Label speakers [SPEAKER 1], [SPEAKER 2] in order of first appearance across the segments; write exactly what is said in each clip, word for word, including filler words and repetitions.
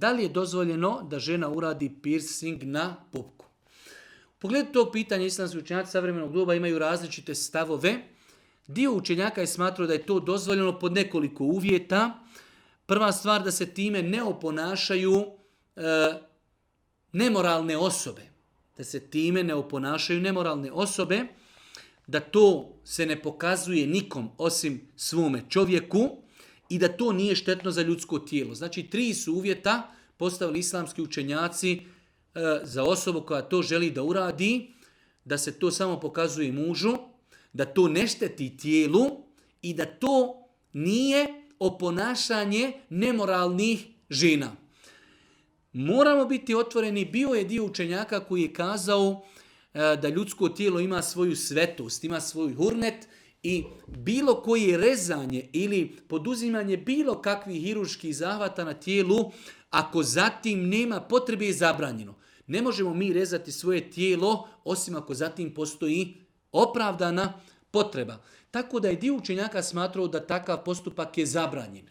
[SPEAKER 1] Da li je dozvoljeno da žena uradi piercing na pupku? U pogledu tog pitanja islamski učenjaci savremenog doba imaju različite stavove. Dio učenjaka je smatrao da je to dozvoljeno pod nekoliko uvjeta. Prva stvar, da se time ne oponašaju e, nemoralne osobe. Da se time ne oponašaju nemoralne osobe, da to se ne pokazuje nikom osim svome čovjeku i da to nije štetno za ljudsko tijelo. Znači, tri su uvjeta postavili islamski učenjaci e, za osobu koja to želi da uradi, da se to samo pokazuje mužu, da to ne šteti tijelu i da to nije oponašanje nemoralnih žena. Moramo biti otvoreni, bio je dio učenjaka koji je kazao da ljudsko tijelo ima svoju svetost, ima svoj hurnet i bilo koje rezanje ili poduzimanje bilo kakvih hirurških zahvata na tijelu, ako zatim nema potrebe, je zabranjeno. Ne možemo mi rezati svoje tijelo osim ako zatim postoji opravdana potreba. Tako da je dio učenjaka smatrao da takav postupak je zabranjen.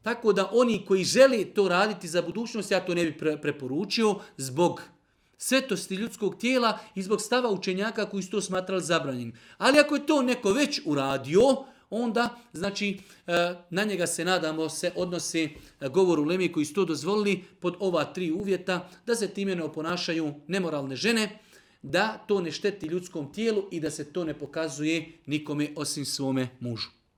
[SPEAKER 1] Tako da oni koji žele to raditi za budućnost, ja to ne bih preporučio zbog svetosti ljudskog tijela i zbog stava učenjaka koji su to smatrali zabranjenim. Ali ako je to neko već uradio, onda, znači, na njega se, nadamo, se odnose govor uleme koji su to dozvolili pod ova tri uvjeta, da se time ne oponašaju nemoralne žene, da to ne šteti ljudskom tijelu i da se to ne pokazuje nikome osim svome mužu.